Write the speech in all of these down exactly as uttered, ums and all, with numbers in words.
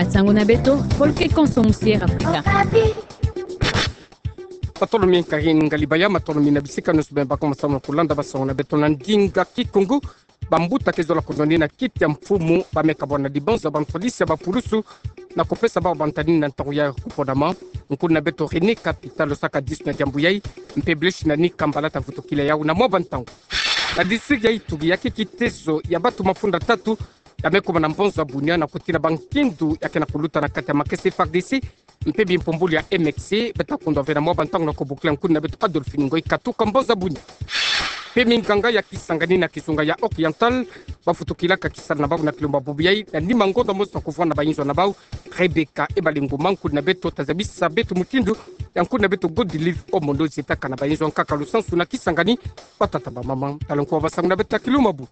Nsangu na beto, Folklore Konso Musier Afrika. Matondo mingi kari ngalibaya, matondo mingi na bisika nionso bemba ko masamu na kulanda basangu na beto na ndinga Kikongo. Bambuta ke zola kunwanina kiti ya mfumu, bameka bwana dibonza bantwadisi ya bapulusu na kupesa bau bantanini na ntangu ya kuponama. Nkuna beto René Capita losaka disu na diambu yai, mpe Blaise Nani Kambala tavutukila yau na mwa bantangu. Na district ya Ituri, ya ke kitezo ya batu mafunda tatu ya me kuma na mbonza bunia na kutila bankindu ya ke na kuluta na kati ya makesa F A R D C mpe bimpumbulu ya M X C. Beta kundwa ve na mwa bantangu na kubokila nkuna beto Adolphine Ngoyi katuka mbonza bunia. Mpe minganga ya Kisangani na kizunga ya Oriental bavutukilaka kisalu na bau na kilumbu bubu yai na nima ngonda mosi na kuvwanda bayinzo na bau. Rebecca Ebalinguma, nkuna beto, tazabisa beto mutindu ya nkuna beto Godlive Omondo zetaka na bayinzo ya nkaka lusansu na Kisangani. Batata, bamama, tala nkuwa basangu na beto na kilumbu bubu.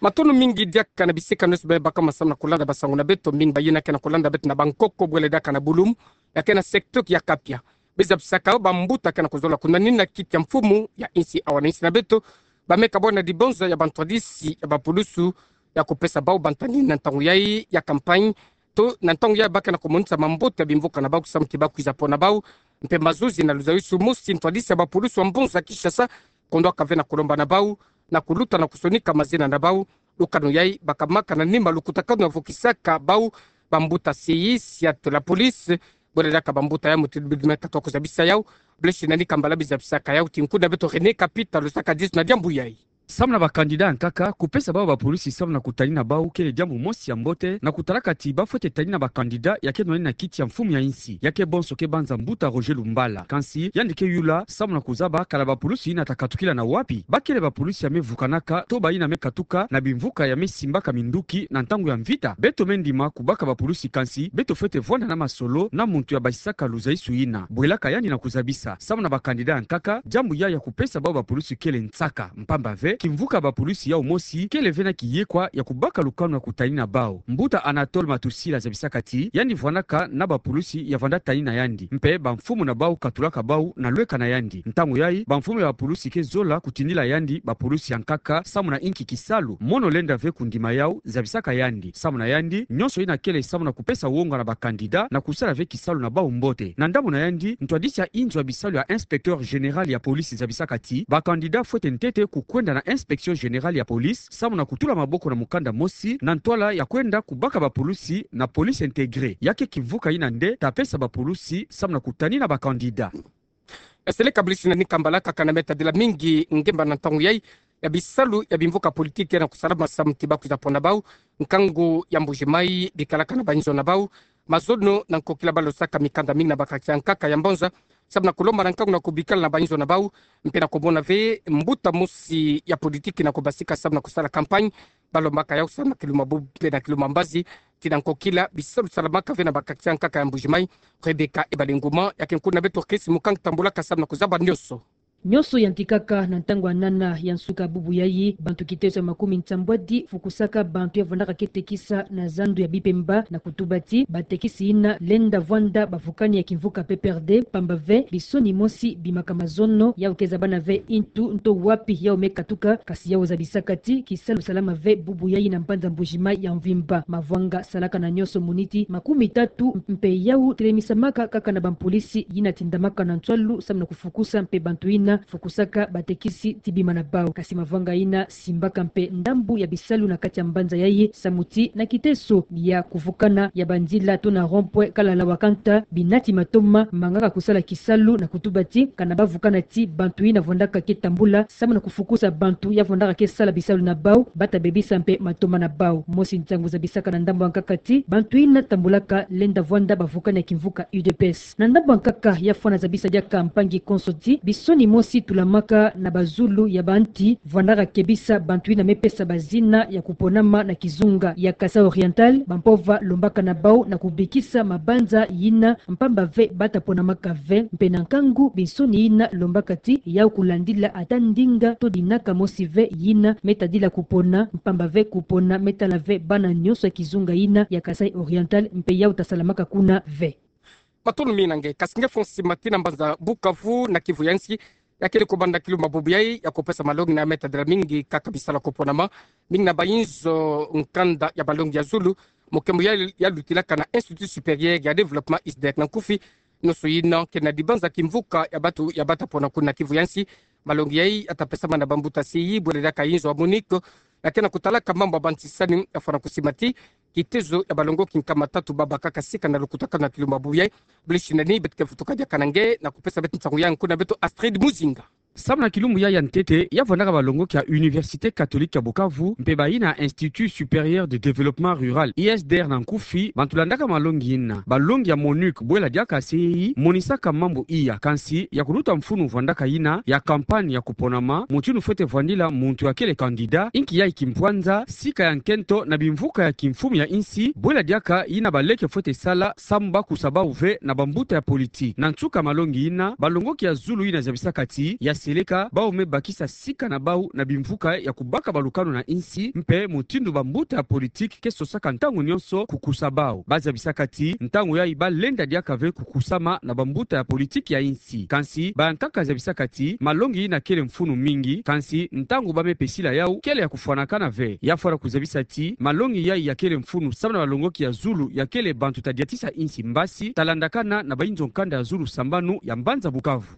Matondo mingi diaka na bisika nionso bemba ko masamu na kulanda basangu na beto. Mingi bayina ke na kulanda beto na bankoko bwele diaka na Bouloum, ya ke na secteur ya Kapia. Bizabisaka bambuta ke na kuzola kunwanina kiti ya mfumu ya insi awa na insi na beto, bameka bwana dibonza ya bantwadisi ya bapulusu ya kupesa bau bantanini na ntangu yai ya campagne, to na ntangu yai ba ke na kumonisa mambote ya bimvuka na bau samu ti ba kwiza pona bau. Mpe mazuzi na luzaisu mosi ntwadisi ya bapulusu wa mbonza Kinshasa kondwaka ve na kulomba na bau na kuluta na kusonika mazina na bau. Lukanu yai bakamaka na nima lukutakanu ya vukisaka bau bambuta C I S ya to la police. Bwele diaka bambuta ya mutindu bidimeka toko zabisa yau. Blaise Nani Kambala bizabisaka yau ti nkuna beto René Capita losaka disu na diambu yai. Samu na bakandida ya nkaka, kupesa bau bapulusi samu na kutanina bau kele diambu mosi ya mbote, na kutalaka ti bafwete tanina bakandida ya ke nwanina kiti ya mfumu ya insi, ya ke bonso ke banza mbuta Roger Lumbala. Kansi yandi ke yula samu na kuzaba kala bapulusi yina ta katukila na wapi, bakele bapulusi ya me vukanaka to bayina me katuka na bimvuka ya me simbaka minduki na ntangu ya mvita. Beto me ndima kubaka bapulusi, kansi beto fwete vwanda na masolo na muntu ya basisaka luzaisu yina. Bwelaka yandi na kuzabisa. Samu na bakandida ya nkaka, diambu yai ya kupesa bau bapulusi kele nsaka, mpamba ve kimvuka ya bapulusi yau mosi kele ve na kiyekwa ya kubaka lukanu ya kutanina bau. Mbuta Anatole Matusila zabisaka ti yandi vwandaka na bapulusi ya vwanda tanina yandi, mpe bamfumu na bau katulaka bau na lweka na yandi. Ntangu yai, bamfumu ya bapulusi ke zola kutindila yandi bapulusi ya nkaka samu na inki kisalu. Mono lenda ve kundima yau, zabisaka yandi. Samu na yandi, nionso yina kele samu na kupesa wonga na bakandida na kusala ve kisalu na bau mbote. Na ndambu na yandi, ntwadisi ya inzo ya bisalu ya inspecteur général ya police zabisaka ti bakandida fwete ntete kukwenda na inspection générale ya police samu na kutula maboko na mukanda mosi na ntwala ya kwenda kubaka bapulusi na police intégrée. Ya ke kimvuka yina nde ta pesa bapulusi samu na kutanina bakandida. Eseleka Blaise Nani Kambala, kaka na me tadila mingi ngemba na ntangu yai ya bisalu ya bimvuka politique ya na kusalama samu ti ba kwiza pona bau. Nkangu ya Mbuji-Mayi bikalaka na bayinzo na bau. Mazono na nkokila balosaka mikanda mingi na ba quartier ya nkaka ya mbonza samu na kulomba na nkangu na kubikala na bayinzo na bau, mpe na kumona ve mbuta mosi ya politique na kubasika samu na kusala campagne. Balombaka yau samu na kiluma bubu mpe na kiluma mbazi, ti na nkokila bisalu salamaka ve na ba quartier ya nkaka ya Mbuji-Mayi. Rebecca Ebalinguma, ya ke nkuna beto Chris Mukang tambulaka samu na kuzaba nionso. Nionso yantikaka na ntangu ya nana ya nsuka bubu yai, bantu kitezo ya makumi nsambwadi fukusaka bantu ya vwandaka ke tekisa na zandu ya Bipemba na kutuba ti batekisi yina lenda vwanda bavukani ya kimvuka P P R D, mpamba ve bisoni mosi bimaka mazono yau ke zabana ve intu nto wapi yau me katuka, kasi yau zabisaka ti kisalu salama ve bubu yai na mbanza Mbuji-Mayi ya mvimba. Mavwanga salaka na nionso muniti makumi tatu, mpe yau telemisamaka kaka na bampolisi yina tindamaka na nswalu samu na kufukusa mpe bantu yina fukusaka batekisi ti bima na bau. Kasi mavwanga yina simbaka mpe ndambu ya bisalu na kati ya mbanza yai samu ti na kiteso ya kuvukana ya banzila to na rond-point Kalala Wakanta, binati matoma mangaka kusala kisalu na kutuba ti kana bavukana ti bantu yina vwandaka ke tambula samu na kufukusa bantu ya vwandaka ke sala bisalu na bau, bata bebisa mpe matoma na bau. Mosi nsangu zabisaka na ndambu ya nkaka ti bantu yina tambulaka lenda vwanda bavukani ya kimvuka U D P S. Na ndambu ya nkaka ya fwana zabisa diaka mpangi konso ti bisoni mosi tulamaka na bazulu ya banti vwandaka kebisa bantu yina me pesa bazina ya kuponama na kizunga ya Kasai Oriental, bampova lombaka na bau na kubikisa mabanza yina mpamba ve bata ponamaka ve, mpe na nkangu binsoni yina lombaka ti yau kulandila ata ndinga to dinaka mosi ve yina me tadila kupona, mpamba ve kupona me tala ve bana nionso ya kizunga yina ya Kasai Oriental, mpe yau tasalamaka kuna ve. Matondo mingi na nge, kasi nge fong sima ti na mbanza Bukavu na Kivu ya nsi, ya kele kobanda kilumbu bubu yai, ya kopesa malongi na me tadela mingi kaka bisalu ya koponama, mingi na bainzo nkanda ya malongi ya zulu, mo kembo ya, ya lutilaka na Institut Supérieur ya Développement, ISDER na nkufi, nyoso ina kena dibanza kimvuka ya batu ya bata pona kuna kivu ya nsi. Malongi yai ya tapesama na bambuta C I, bwela diaka inzo ya MONUC, ya kena kutalaka mambu ya bantisani ya fwana kusimati kitezo ya balongoki nkama tatu babakaka sika na lukutakanu na kilumbu bubu yai. Bili shinani, beto ke vutuka diaka na nge, na kupesa beto nsangu ya nkuna beto Astrid Muzinga. Samu na kilumbu yai ya ntete, ya vandaka balongoki ya Université Catholique ya Bukavu, mpe bayina Institut Supérieur de Développement Rural, ISDER na nkufi, bantu landaka malongi ina. Balongi ya MONUC, bwela diaka C I, monisaka mambu iya, kansi, ya kuluta mfunu vandaka ina ya campagne ya koponama, mutindu fwete vandila muntu ya kele candidat, inki yai kimpwanza, sika ya nkento na bimvuka ya kimfumu ya insi, bwela diaka ina baleke fwete sala, samu ba kusa bau ve na bambuta ya politique. Na nsuka malongi ina, balongoki ya zulu ina zabisaka ti, ya seleka, bau me bakisa sika na bau na bimvuka ya kubaka balukanu na insi, mpe mutindu bambuta ya politique ke sosaka ntangu nionso kukusa bau. Ba zabisaka ti, ntangu yai ba lenda diaka ve kukusama na bambuta ya politique ya insi. Kansi, bayankaka zabisaka ti, malongi ina kele mfunu mingi, kansi, ntangu ba me pesila yau, kele ya kufwanakana ve. Ya fwana kuzabisa ti, malongi yai ya kele mfunu samu na balongoki ya zulu ya kele bantu ta diatisa insi mbasi, ta landakana na bainzo nkanda ya zulu sambanu ya mbanza Bukavu.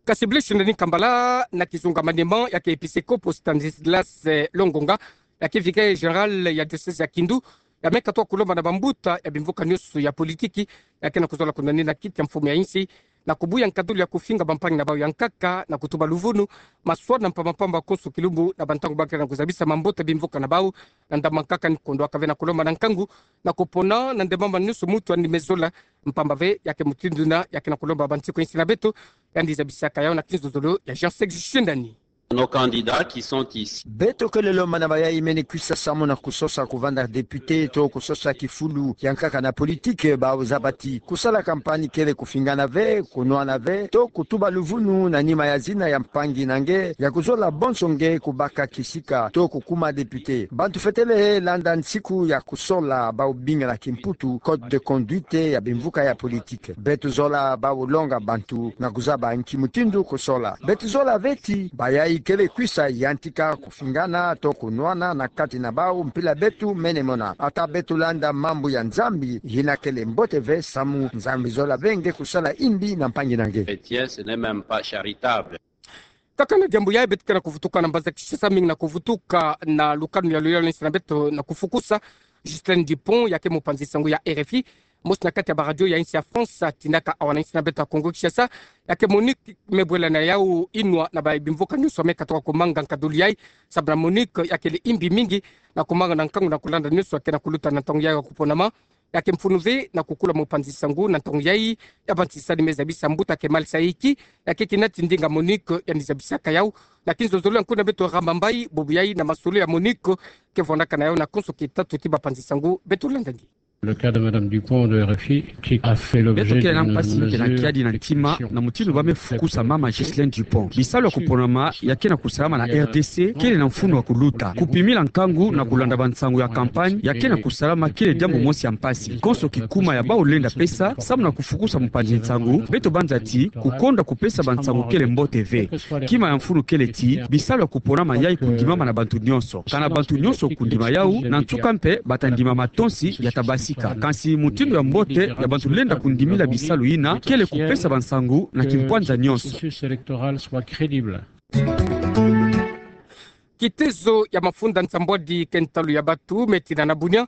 Kasi bili shinani kambala na kizunga manima ya ke episkopo Stanislas, eh, Longonga, ya ke vicaire général ya diocèse ya Kindu, ya me katuka kulomba na bambuta ya bimvuka nionso ya politiki, ya kena kuzola kunani na kiti ya mfumu ya insi, na kubuya nkadulu ya kufinga bampangi na bau ya nkaka, na kutuba luvunu, maswala mpamba mpamba konso kilumbu na bantangu ba kena kuzabisa mambote bimvuka na bau, na ndambu nkaka ni kondo aka ve na kulomba na nkangu, na kopona, na ndemama nionso mutu andi me zola, mpamba ve, ya ke mutindu na, ya kena kulomba bantsiko insi na beto, yandi zabisaka yau na kinzozolo ya Jean Sexy Shendani. Nos candidats qui sont ici. Beto kele lomba na bayai mene kwisa samu na kusosa kuvanda député to kusosa kifulu ya nkaka na politique, bau zaba ti kusala campagne kele kufingana ve, kunwana ve, to kutuba luvunu na nima ya zina ya mpangi na nge, ya kuzola bonso nge kubaka kisika, to kukuma député. Bantu fwete lenda nsiku ya kusola bau bingana kimputu, code de conduite ya bimvuka ya politique. Beto zola bau longa bantu na kuzaba nki mutindu kusola. Beto zola ve ti, bayai kele kwisa yantika kufingana to kunwana na kati na bau mpila beto mene mona. Ata beto landa mambu ya Nzambi, yina kele mbote ve samu Nzambi zola ve nge kusala imbi na mpangi na nge. Chrétien, ce n'est même pas charitable. Kaka na diambu yai beto kena kuvutuka na mbanza Kinshasa, mingi na kuvutuka na lukanu ya luyalo na insi na beto na kufukusa Ghislain Dupont, ya ke mupanzi nsangu ya R F I, mosi na kati ya baradio ya insi ya France, atinaka awa na insi na beto ya Kongo Kinshasa, ya ke MONUC me bwela na yau inwa na bayi bimvuka nionso me katuka kumanga nkadulu yai, samu na MONUC ya kele imbi mingi na kumanga na nkangu na kulanda nionso ya kena kuluta na ntangu yai ya kuponama, ya ke mfunu ve na kukula mupanzi nsangu na ntangu yai ya bantisani me zabisa mbuta Kemal Saïki, ya ke kina ti ndinga MONUC yandi zabisaka yau, na kinzozolo ya nkuna beto Ramba Mbayi, bubu yai na masolo ya MONUC ke vandaka na yau na konso kitatu ti bapanzi nsangu, beto landa nge. Le cas de Madame Dupont de R F I, qui a fait l'objet d'une mesure d'exception. Beto kele na mpasi mpe na kiadi na ntima na mutindu ba me fukusa mama Ghislain Dupont. Bisalu ya kuponama ya kena kusalama na R D C kele na mfunu ya kuluta. Kupimila nkangu na kulanda bansangu ya campagne ya kena kusalama kele diambu mosi ya mpasi. Konso kikuma ya bau lenda pesa samu na kufukusa mupanzi nsangu, beto banza ti kukonda kupesa bansangu kele mbote ve. Kima ya mfunu kele ti, bisalu ya kuponama yai kundimama na bantu nionso. Kana bantu nionso kundima yau, na nsuka mpe bata ndima matonsi ya tabasika. Kansi mutindu ya mbote ya bantu lenda kundimila bisalu yina kele kupesa bansangu na kimpwanza nionso. Kitezo ya mafunda nsambwadi ke ntalu ya batu me tina na bunia,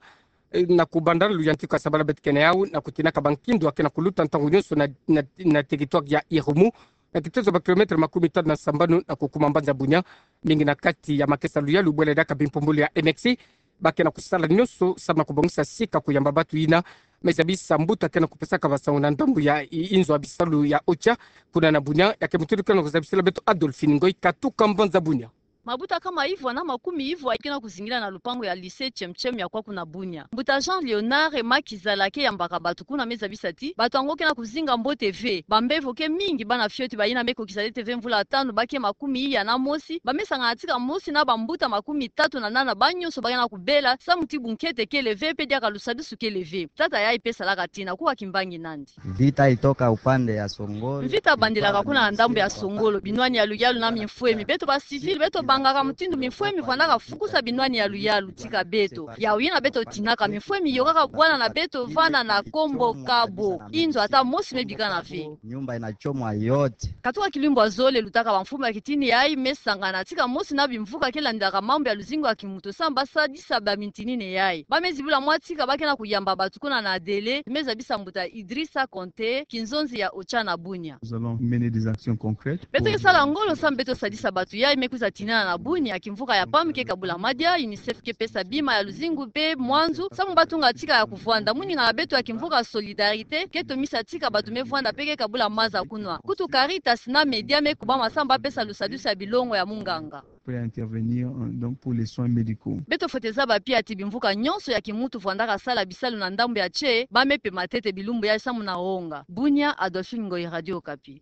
eh, na kubanda luyantiku ya sabala beto kele na yau, na kutinaka bankindu ya kena kuluta ntangu nionso na, na, na territoire ya Irumu, na kitezo ba kilomètre makumi tanu na sambanu na kukuma mbanza Bunia, mingi na kati ya makesa luyalu bwela diaka bimpumbulu ya M X, ba kena kusala nionso samu na kubongisa sika kuyamba batu yina me zabisa mbuta kena kupesaka bansangu na ndambu ya i-, inzo ya bisalu ya OCHA, kuna na Bunia, ya ke mutindu kena kuzabisila beto Adolphine Ngoy katuka mbanza Bunia. Mabuta kama ivwa na makumi ivwa ke na kuzingila na lupangu ya lycée Chem Chem ya kwaku na Bunia. Mbuta Jean Léonard Makizala ke yambaka batu kuna me zabisa ti batu yango ke na kuzinga mbote ve. Bambevo ke mingi, bana fioti bayina me kokisa ntete ve mvula tanu, ba ke makumi iya na mosi, ba me sangana tika mosi na bambuta makumi tatu na nana, ba nyonso ba ke na kubela samu ti bunkete kele ve mpe diaka lusadusu kele ve. Tata yayi pe salaka tina kuwa kimbangi nandi. Vita itoka upande ya Songolo. Mvita bandilaka kuna na ndambu ya Songolo, binwani ya luyalu na mimfwemi. Beto ba civil, beto bangaka mutindu mimfwemi vwandaka fukusa binwani ya luyalu tika beto. Yawu yina beto tinaka, mimfwemi yokaka bwana na beto vana na Kombo Kabo. Inzo ata mosi me bikana ve. Nyumba inachomwa yote. Katuka kilumbu ya zole lutaka bamfumu ya kitini yayi me sangana tika mosi na bimvuka ke landilaka mambu ya luzingu ya kimuntu samu ba sadisa bamitinini yayi. Ba me zibula mwa tika ba ke na kuyamba batu kuna na Dele, me zabisa mbuta Idrissa Konté, kinzonzi ya OCHA na Bunia. Nous allons mener des actions concrètes. Beto ke sala ngolo samu beto sadisa batu yayi me kwiza tinana na Bunia. Kimvuka ya PAM ke kabula madia, UNICEF ke pesa bima ya luzingu mpe mwanzu samu ba tunga tika ya kuvwanda. Moninga na beto ya kimvuka Solidarité ke tomisa tika batu me vwanda mpe ke kabula maza kunwa. Kutu Caritas na Média me kubama samu ba pesa lusadusu ya bilongo ya munganga. Prêt à intervenir, euh, donc pour les soins médicaux. Beto fwete zaba pia ti bimvuka nyonso ya kimuntu vwandaka sala bisalu na ndambu ya tse, ba me pema ntete bilumbu yayi samu na onga. Bunia, Adolphine Ngoyi, Radio Okapi.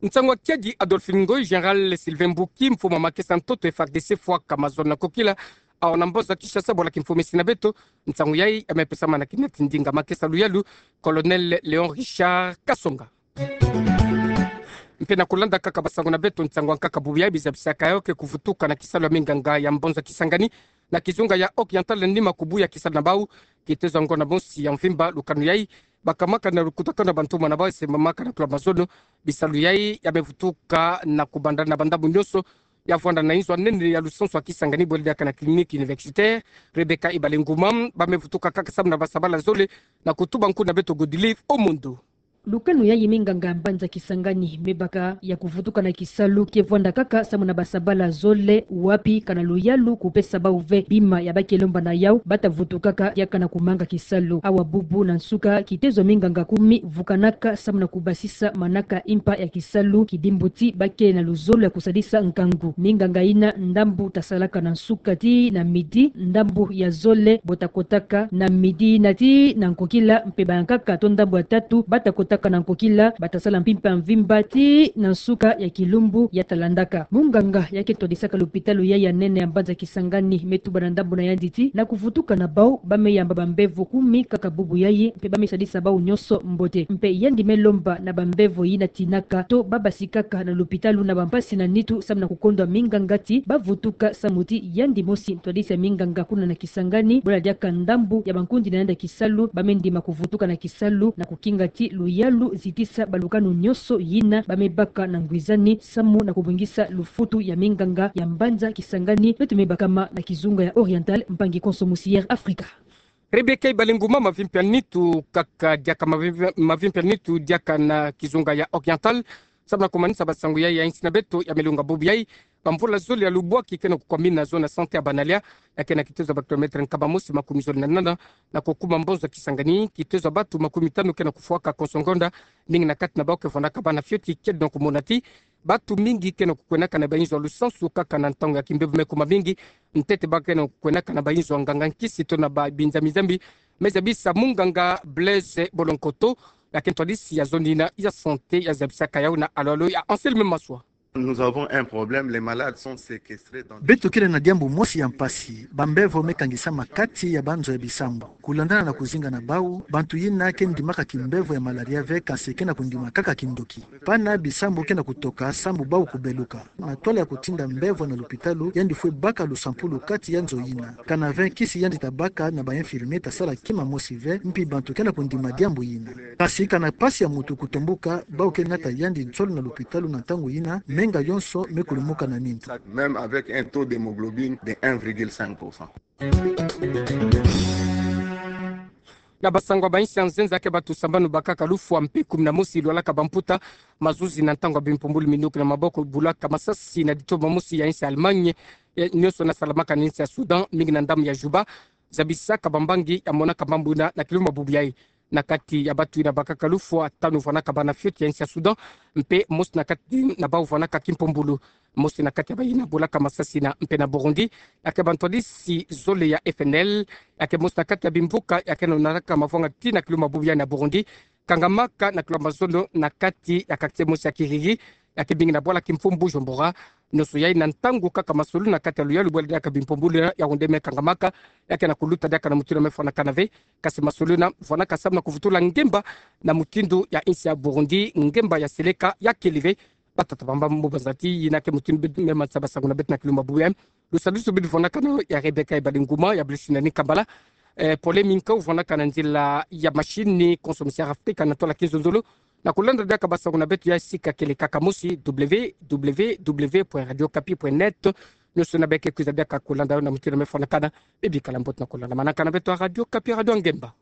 Nsangu ya kiadi Adolphine Ngoyi, Général Sylvain Mbuki, mfumu a makesa ntoto FARDC fwaka mazono na kokila awa na mboza Kinshasa, bwala kimfumisi na beto. Nsangu yayi ya me pesama na kina tindinga makesa luyalu, Colonel Léon Richard Kasonga. Mpe na kulanda kaka basangu na beto, nsangu ya nkaka bubu yayi, bizabisaka yawu ke kuvutuka na kisalu ya minganga ya mboza Kisangani na kizunga ya Oriental nima kubuya kisalu na bawu, kitezo ya ngonda mosi ya mvimba. Lukanu yayi bakamaka na lukutakanu ya bantumwa na bawu, esemamaka na tula mazono. Bisalu yayi ya me vutuka na kubanda na bandambu nyonso ya vwanda na inzo ya nene ya lusansu ya Kisangani, bwele diaka na clinique universitaire Rebecca Ibalenguma. Ba me vutuka kaka samu na basabala zole, na kutuba nkunga na beto Godelive Omondo. Lukanu yayi, minganga ya mbanza Kisangani me baka ya kuvutuka na kisalu ke vwanda kaka samu na basabala zole, wapi kana luyalu kupesa bawu ve bima ya ba ke lomba na yawu, ba ta vutukaka diaka na kumanga kisalu. Awa bubu na nsuka, kitezo ya minganga kumi vukanaka samu na kubasisa manaka mpa ya kisalu, kidimbu ti ba ke na luzolo ya kusadisa nkangu. Minganga yina, ndambu ta salaka na nsuka tii na midi, ndambu ya zole bo ta kotaka na midi yina tii na nkokila, mpe bankaka to ndambu ya tatu ba ta kotaka na nkokila, ba ta sala mpimpa mvimba tii na nsuka ya kilumbu ya ta landaka. Munganga ya ke twadisaka lopitalo yayi ya nene ya mbanza Kisangani me tuba na ndambu na yandi ti na kuvutuka na bawu, ba me yamba bambevo kumi kaka bubu yayi, mpe ba me sadisa bawu nyonso mbote. Mpe yandi me lomba na bambevo yina tinaka to ba basikaka na lopitalo na bampasi na nitu samu na kukondwa minganga ti ba vutuka samu ti yandi mosi ntwadisi ya minganga kuna na Kisangani, bwele diaka ndambu ya bankundi na yandi ya kisalu, ba me ndima kuvutuka na kisalu na kukinga ti luyalu zitisa balukanu nyonso yina ba me baka na ngwizani samu na kubongisa lufutu ya minganga ya mbanza Kisangani, beto me bakama na kizunga ya Oriental, mpangi konso musi Air Africa. Rebecca Ibalenguma, mavimpia nitu kaka diaka, mavi-, mavimpia nitu diaka na kizunga ya Oriental samu na kumanisa basangu yayi ya insi na beto ya melunga bubu yayi. Bamvula zole ya lubwaki ke na kukwamina zone ya santé ya Banalia, ya ke na kitezo ya ba kilomètre nkama mosi makumi zole na nana na kukuma mboza Kisangani. Kitezo ya batu makumi tanu ke na kufwaka konso ngonda, mingi na kati na bawu ke vwandaka bana fioti. Kiadi na kumona ti batu mingi ke na kukwenaka na bainzo ya lusansu kaka na ntangu ya kimbevo me kuma mingi. Ntete ba ke na kukwenaka na bainzo ya nganga nkisi to na ba binzambi-nzambi. Me zabisa munganga Blaise Bolonkoto, ya ke ntwadisi ya zone yina ya santé, ya zabisaka yawu na alo-alo ya Anselme Maswa. Nous avons un problème, les malades sont séquestrés dans... Beto kele na diambu mosi ya mpasi, bambevo me kangisama kati ya banzo ya bisambu. Kulandana na kuzinga na bawu, bantu yina ke ndimaka kimbevo ya malaria ve, kansi ke na kundima kaka kindoki. Pana bisambu ke na kutoka samu bawu kubeluka. Na ntwala ya kutinda mbevo na lopitalo, yandi fwe baka lusampulu kati ya nzo yina. Kana ve nkisi yandi ta baka, na ba infirmiers ta sala kima mosi ve, mpi bantu ke na kundima diambu yina. Kansi kana mpasi ya muntu kutombuka, bawu ke nata yandi nsolo na lopitalo na ntangu yina, menga yonso me kulumuka na nintu. Même avec un taux d'hémoglobine de un virgule cinq pour cent. Na basangu ya bainsi ya nzenza, ke batu sambanu bakaka lufwa mpe kumi na mosi lwalaka bamputa mazuzi na ntangu ya bimpumbulu minduki na maboko, bulaka masasi na ditoma mosi ya insi ya Allemagne, ya, nyonso na salamaka na insi ya Soudan, mingi na ndambu ya Juba. Zabisaka bambangi ya monaka mambu yina na kilumbu bubu yayi. na kati ya batu ina bakaka lufo atanu vwanaka bana fioti ya insi ya Sudan, mpe mosi na kati na bau vwanaka kimpombulu, mosi na kati ya bayi na bolaka masasi na mpe na Burundi, ya ke bantwadisi zole ya F N L, ya ke mosi na kati ya bimvuka ya ke nonaka mavwanga ti na kiluma bubu ya na Burundi, kangamaka na kilumba zolo na kati ya quartier mosi ya Kiriri, ya ke bingi na bwala kimfumbu Bujumbura. Noso yayi na ntangu kaka masoloni na kati ya luyalu bwala diaka bimpombulu ya Rwanda me kangamaka, ya ke na kuluta diaka na mutindu me vwanakana ve, kasi masoloni vwanaka samu na kuvutula ngemba na mutindu ya insi ya Burundi, ngemba ya seleka ya keli ve. Batata bamba mo banzati, ina ke mutindu bit me matsa basanguna beto na kiluma bubu ya. Lusadusu bit vwanakana ya Rebecca Ebalinguma, ya blusi na ni kambala. Eh, pole minka u vwanakana nzila ya machine ni consommation Afrika na tola kinzonzolo. Na kulanda diaka basanguna beto ya sika kele kaka mosi, W W W point radio kapi point net. Noso na beke kwiza diaka kulanda na mutindu me vwanakana, bibi kala mbote na kulanda. Manaka na beto Radio Kapi, radio ngemba.